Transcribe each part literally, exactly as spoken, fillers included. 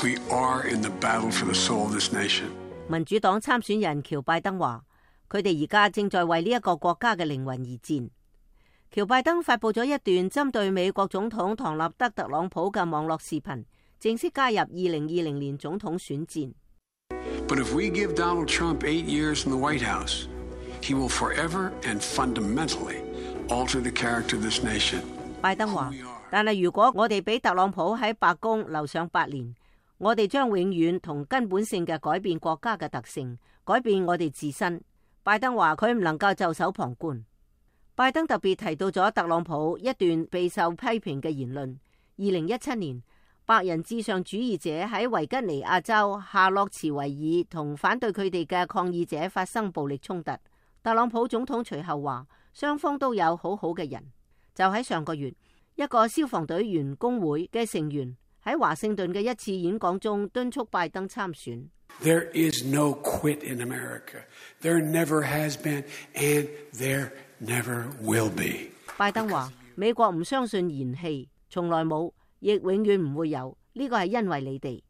We are in the battle for the soul of this nation. 民主黨參選人喬拜登話，佢哋而家正在為呢一個國家嘅靈魂而戰。喬拜登發佈咗一段針對美國總統唐納德特朗普嘅網絡視頻，正式加入二零二零年總統選戰。But if we give Donald Trump eight years in the White House, he will forever and fundamentally alter the character of this nation. 拜登話，但係如果我哋俾特朗普喺白宮留上八年，我哋將永遠同根本性嘅改變國家嘅特性，改變我哋自身。拜登話佢唔能夠袖手旁觀。拜登特別提到咗特朗普一段備受批評嘅言論。二零一七年，白人至上主義者喺維吉尼亞州夏洛茨維爾同反對佢哋嘅抗議者發生暴力衝突。特朗普總統隨後話，雙方都有好好嘅人。就喺上個月，一個消防隊員工會嘅成員喺華盛頓嘅一次演講中敦促拜登參選。There is no quit in America. There never has been, and there never will be. 拜登話：美國唔相信延期，從來冇，亦永遠唔會有。呢個係因為你哋。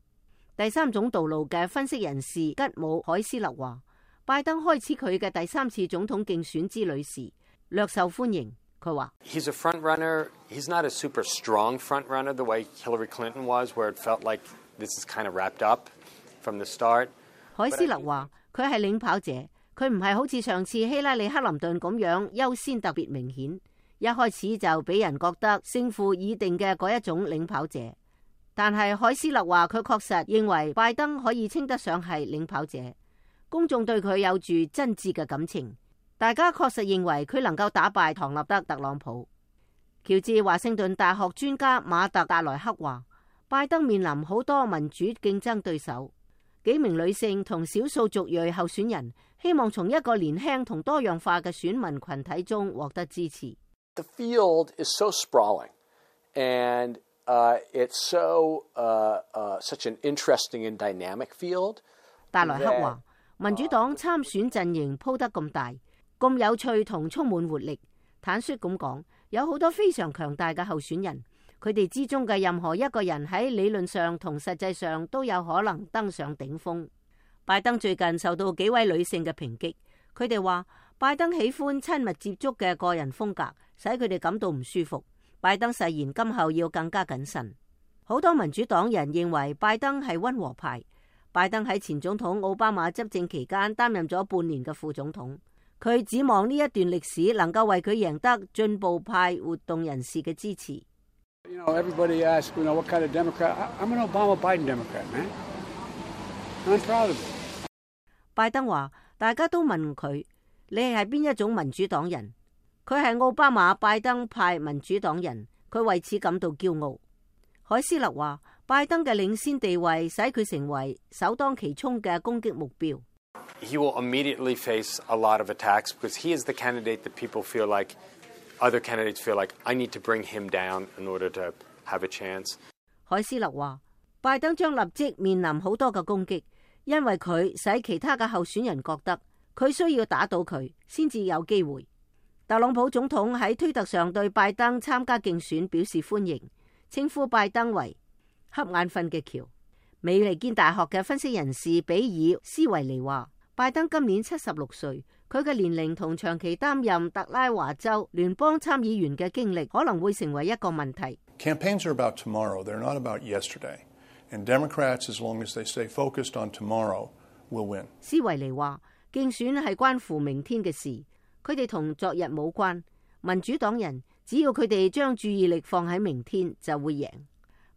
第三種道路嘅分析人士吉姆海斯勒話：拜登開始佢嘅第三次總統競選之旅時，略受歡迎。佢話：He's a front runner. He's not a super strong front runner the way Hillary Clinton was, where it felt like this is kind of wrapped up from the start. 海斯勒話：佢係領跑者，佢唔係好似上次希拉里克林頓咁樣優先特別明顯。一開始就俾人覺得勝負已定嘅嗰一種領跑者，但係海斯勒話佢確實認為拜登可以稱得上係領跑者，公眾對佢有住真摯嘅感情，大家確實認為佢能夠打敗唐納德特朗普。喬治華盛頓大學專家馬特達萊克話，拜登面臨好多民主競爭對手，幾名女性同少數族裔候選人希望從一個年輕同多樣化嘅選民群體中獲得支持。The field is so sprawling, and uh, it's so uh, uh, such an interesting and dynamic field. 達萊克話：民主黨參選陣營鋪得咁大、咁有趣同充滿活力，坦率咁講，有好多非常強大嘅候選人，佢哋之中嘅任何一個人喺理論上同實際上都有可能登上頂峰。拜登最近受到幾位女性嘅抨擊，佢哋話拜登喜歡親密接觸嘅個人風格，使佢哋感到唔舒服。拜登誓言今後要更加謹慎。好多民主黨人認為拜登係溫和派。拜登喺前總統奧巴馬執政期間擔任咗半年嘅副總統，佢指望呢一段歷史能夠為佢贏得進步派活動人士嘅支持。You know, everybody asks, you know, what kind of Democrat? I'm an Obama-Biden Democrat, man. I'm proud of it. 拜登話：大家都問佢，你係邊一種民主黨人？佢係奧巴馬拜登派民主黨人，佢為此感到驕傲。海斯勒話：拜登嘅領先地位使佢成為首當其衝嘅攻擊目標。He will immediately face a lot of attacks because he is the candidate that people feel like other candidates feel like I need to bring him down in order to have a chance. 海斯勒話：拜登將立即面臨好多嘅攻擊，因為佢使其他嘅候選人覺得佢需要打倒佢先至有機會。特朗普總統喺推特上對拜登參加競選表示歡迎，稱呼拜登為瞌眼瞓嘅橋。美利堅大學嘅分析人士比爾斯維尼話：拜登今年七十六歲，佢嘅年齡同長期擔任特拉華州聯邦參議員嘅經歷可能會成為一個問題。Campaigns are about tomorrow, they're not about yesterday. And Democrats, as long as they stay focused on tomorrow, will win. 斯維尼話：競選係關乎明天嘅事，佢哋同昨日冇關。民主黨人只要佢哋將注意力放喺明天，就會贏。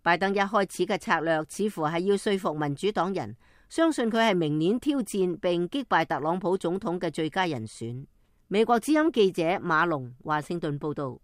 拜登一開始嘅策略似乎係要說服民主黨人，相信佢係明年挑戰並擊敗特朗普總統嘅最佳人選。美國之音記者馬龍華盛頓報道。